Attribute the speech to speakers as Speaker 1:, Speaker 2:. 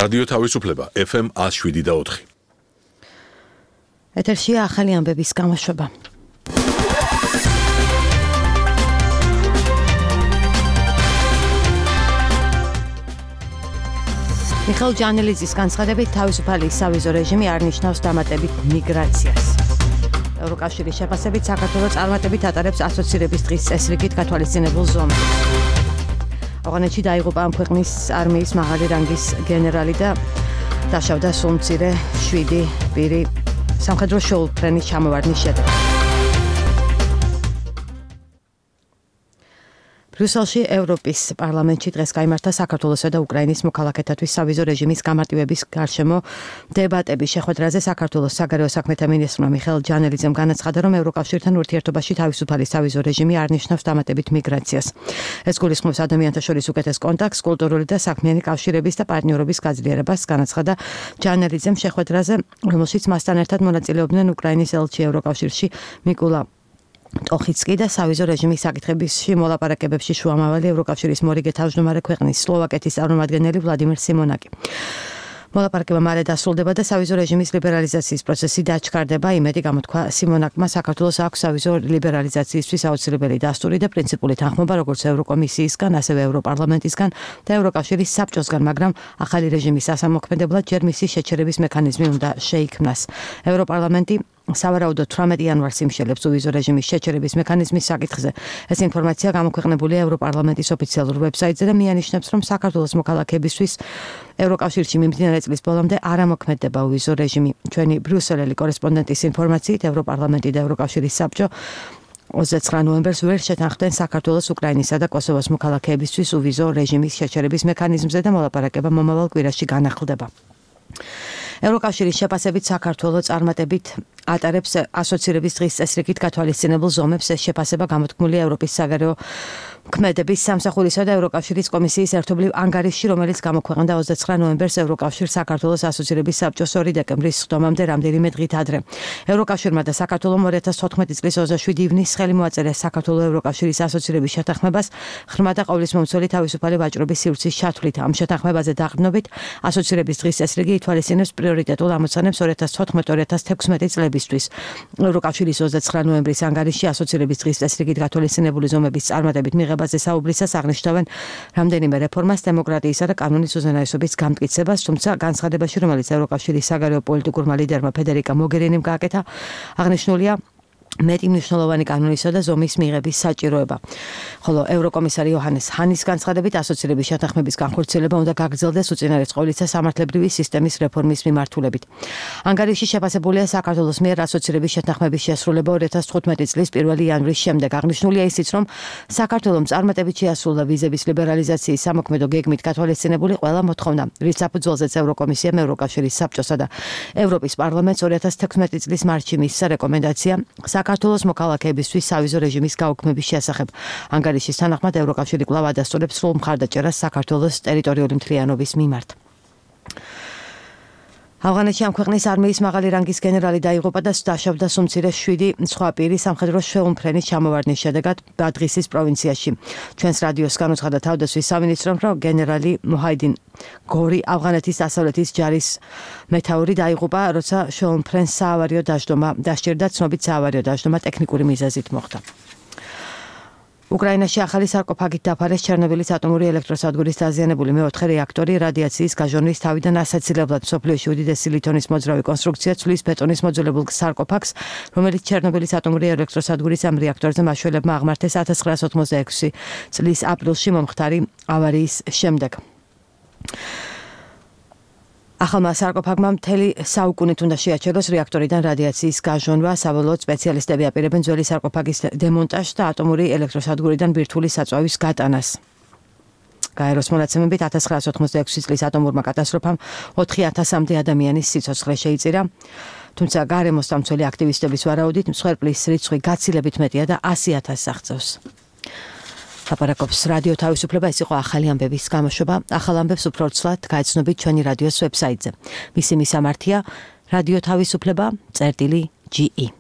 Speaker 1: რადიო თავისუფლება FM 107.4.
Speaker 2: ეთერშია ახალი ამბების გამოშვება. მიხეილ ჯანელიძის განცხადებით თავისუფალი სავიზო რეჟიმი არ ნიშნავს დამატებით მიგრაციას. ევროკავშირის შეფასებით საქართველოს წარმატებით ატარებს ასოცირების დღის წესრიგით გათვალისწინებულ ზომებს. ავღანეთში დაიღუპა ამ ქვეყნის არმიის მაღალი რანგის გენერალი და დაშავდა სულ მცირე 7 პირი სამხედრო შეულფრენის ჩამოვარდნის შედეგად. ბრიუსელში ევროპის პარლამენტში დღეს გაიმართა საქართველოსა და უკრაინის მოქალაქეთათვის სავიზო რეჟიმის გამარტივების გარშემო დებატები. შეხვედრაზე საქართველოს საგარეო საქმეთა მინისტრმა მიხეილ ჯანელიძემ განაცხადა, რომ ევროკავშირთან ურთიერთობაში თავისუფალი სავიზო რეჟიმი არ ნიშნავს დამატებით მიგრაციას. ეს გულისხმობს ადამიანთა შორის უკეთეს კონტაქტს, კულტურული და საქმიანი კავშირების და პარტნიორობის გაძლიერებას, განაცხადა ჯანელიძემ შეხვედრაზე, რომელშიც მასთან ერთად მონაწილეობდნენ უკრაინის ელჩი ევროკავშირში მიკულა ტოხიცკი და სავიზო რეჟიმის საკითხებში მოლაპარაკებებში შუამავალი ევროკავშირის მორიგე თავმჯდომარე ქვეყნის სლოვაკეთის წარმომადგენელი ვლადიმერ სიმონაკი. მოლაპარაკება მალე დასრულდება და სავიზო რეჟიმის ლიბერალიზაციის პროცესი დაჩქარდება. იმედი გამოთქვა სიმონაკმა, საქართველოს აქვს სავიზო ლიბერალიზაციისთვის აუცილებელი დასტური და პრინციპული თანხმობა როგორც ევროკომისიისგან, ასევე ევროპარლამენტისგან და ევროკავშირის საბჭოსგან, მაგრამ ახალი რეჟიმის ასამოქმედებლად ჯერ მისი შეჩერების მექანიზმი უნდა შეიქმნას. ევროპარლამენტი სავარაუდოდ 18 იანვარს იმშელებს უვიზო რეჟიმის შეჩერების მექანიზმის საკითხზე. ეს ინფორმაცია გამოქვეყნებულია ევროპარლამენტის ოფიციალურ ვებსაიტზე და მიანიშნებს, რომ საქართველოს მოქალაქეებისთვის ევროკავშირში მიმდინარე წლის ბოლომდე არ ამოქმედდება უვიზო რეჟიმი. ჩვენი ბრიუსელელი კორესპონდენტის ინფორმაციით ევროპარლამენტი და ევროკავშირის საბჭო 29 ნოემბერს ვერ შეთანხმდნენ საქართველოს, უკრაინისა და კოსოვოს მოქალაქეებისთვის უვიზო რეჟიმის შეჩერების მექანიზმზე და მოლაპარაკება მომავალ კვირაში განახლდება. ევროკავშირის შეფასებით საქართველოს წარმატებით ატარებს ასოცირების დღის წესრიგით გათვალისწინებულ ზომებს. ეს შეფასება გამოთქმულია ევროპის საგარეო ქმედების სამსახურისა და ევროკავშირის კომისიის ერთობლივ ანგარიშში, რომელიც გამოქვეყნდა 29 ნოემბერს ევროკავშირ საქართველოს ასოცირების საბჭოს 2 დეკემბრის სხდომამდე რამდენიმე დღით ადრე. ევროკავშირმა და საქართველომ 2014 წლის 27 ივნისს ხელი მოაწერეს საქართველოს ევროკავშირის ასოცირების შეთანხმებას ღრმა და ყოვლისმომცველი თავისუფალი ვაჭრობის სივრცის ჩათვლით. ამ შეთანხმებაზე დაყრდნობით ასოცირების დღის წესრიგი ითვალისწინებს პრიორიტეტულ ამოცანებს 2014-2016 წლებისთვის. ევროკავშირის 29 ნოემბრის ანგარიშში ასოცირების დღის წესრიგით გათვალისწინებული ზომების წარმატებით მიღებაზე საუბრისას აღნიშნავენ რამდენიმე რეფორმას, დემოკრატიისა და კანონის უზენაესობის გამტკიცებას, თუმცა განცხადებაში, რომელიც ევროკავშირის საგარეო პოლიტიკურმა ლიდერმა ფედერიკა მოგერინიმ გააკეთა, აღნიშნულია მეტი მნიშვნელოვანი კანონისა და ზომის მიღების საჭიროება. ხოლო ევროკომისარი იოჰანეს ჰანის განცხადებით ასოცირების შეთანხმების განხორციელება უნდა გაგრძელდეს უწინარესწყობლისა სამართლებრივი სისტემის რეფორმის მიმართულებით. ანგარიში შეფასებულია საქართველოს მიერ ასოცირების შეთანხმების შესრულება 2015 წლის 1 იანვრის შემდეგ. აღნიშნულია ისიც, რომ საქართველოს წარმატებით შეასრულა ვიზების ლიბერალიზაციის სამოქმედო გეგმით გათვალისწინებული ყველა მოთხოვნა, რის საფუძველზეც ევროკომისიამ ევროკავშირის საბჭოსა და ევროპის პარლამენტს 2016 წლის მარტში მისცა რეკომენდაცია საქართველოს მოქალაქეებისთვის სავიზო რეჟიმის გაუქმების შესახებ. ანგარიშის თანახმად ევროკავშირი კვლავ ადასტურებს სრულ მხარდაჭერას საქართველოს ტერიტორიული მთლიანობის მიმართ. ავღანეთში ამ ქვეყნის არმიის მაღალი რანგის გენერალი დაიღუპა და დაშავდა სულ მცირე 7 სხვა პირი სამხედრო შეულმფრენის ჩამოვარდნის შედეგად ბადღისის პროვინციაში. ჩვენს რადიოს განუცხადა თავდაცვის სამინისტრომ, რომ გენერალი მუჰაიდინ გორი ავღანეთის დასავლეთის ჯარის მეთაური დაიღუპა, როცა შეულმფრენს საავარიო დაშდომა დასჭირდა. ცნობით საავარიო დაშდომა ტექნიკური მიზეზით მოხდა. უკრაინაში ახალი სარკოფაგით დაფარეს ჩერნობილის ატომური ელექტროსადგურის დაზიანებული მეოთხე რეაქტორი. რადიაციის გაჟონვის თავიდან ასაცილებლად მსოფლიოში უდიდესი ლითონის მოძრავი კონსტრუქცია ცვლის ბეტონის მოძველებულ სარკოფაგს, რომელიც ჩერნობილის ატომური ელექტროსადგურის ამ რეაქტორზე მაშველებმა აღმართეს 1986 წლის აპრილში მომხდარი ავარიის შემდეგ. ახალმა სარკოფაგმა მთელი საუკუნით უნდა შეაჩეროს რეაქტორიდან რადიაციის გაჟონვა. საბოლოოდ სპეციალისტები აპირებენ ძველი სარკოფაგის დემონტაჟს და ატომური ელექტროსადგურიდან ბირთვული საწვავის გატანას. გაეროს მონაცემებით 1986 წლის ატომურმა კატასტროფამ 4000-მდე ადამიანის სიცოცხლე შეიწირა. თუმცა გარემოს დამცველი აქტივისტების ვარაუდით მსხვერპლის რიცხვი გაცილებით მეტია და 100,000 აღწევს. ლაპარაკობს რადიო თავისუფლება. ეს იყო ახალი ამბების გამოშვება. ახალ ამბებს უფრო ცვლად გაეცნობით ჩვენი რადიოს ვებსაიტზე. მისი მისამართია რადიო თავისუფლება.ge